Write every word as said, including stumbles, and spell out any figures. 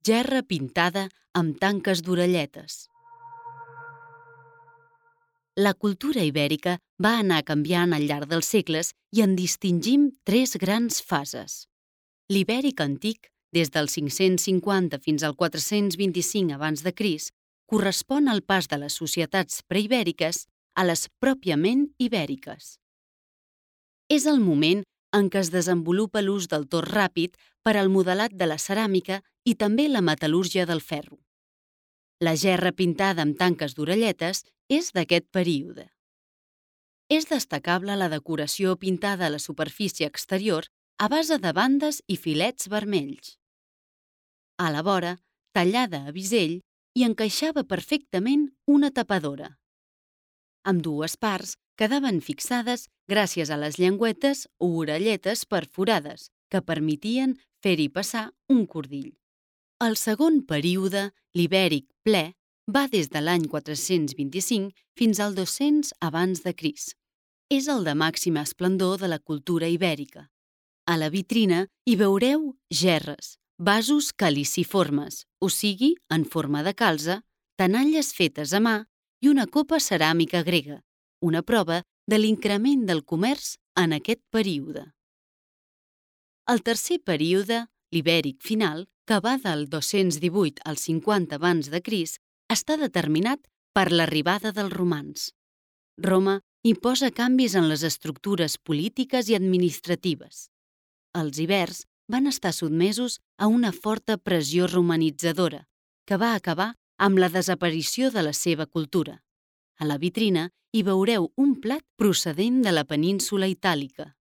gerra pintada amb tanques d'orelletes. La cultura ibèrica va anar canviant al llarg dels segles i en distingim tres grans fases. L'ibèric antic, des del cinc-cents cinquanta fins al quatre-cents vint-i-cinc abans de Crist, correspon al pas de les societats preibèriques a les pròpiament ibèriques. És el moment en què es desenvolupa l'ús del torn ràpid per al modelat de la ceràmica i també la metal·lúrgia del ferro. La gerra pintada amb tanques d'orelletes és d'aquest període. És destacable la decoració pintada a la superfície exterior a base de bandes i filets vermells. A la vora, tallada a bisell, hi encaixava perfectament una tapadora. Ambdues parts quedaven fixades gràcies a les llengüetes o orelletes perforades que permetien fer-hi passar un cordill. El segon període, l'ibèric ple, va des de l'any quatre-cents vint-i-cinc fins al dos-cents abans de Crist. És el de màxima esplendor de la cultura ibèrica. A la vitrina hi veureu gerres, vasos caliciformes, o sigui, en forma de calze, tenalles fetes a mà i una copa ceràmica grega, una prova de l'increment del comerç en aquest període. El tercer període, l'ibèric final, que va del dos-cents divuit al cinquanta abans de Crist, està determinat per l'arribada dels romans. Roma imposa canvis en les estructures polítiques i administratives. Els ibers van estar sotmesos a una forta pressió romanitzadora, que va acabar amb la desaparició de la seva cultura. A la vitrina hi veureu un plat procedent de la península itàlica.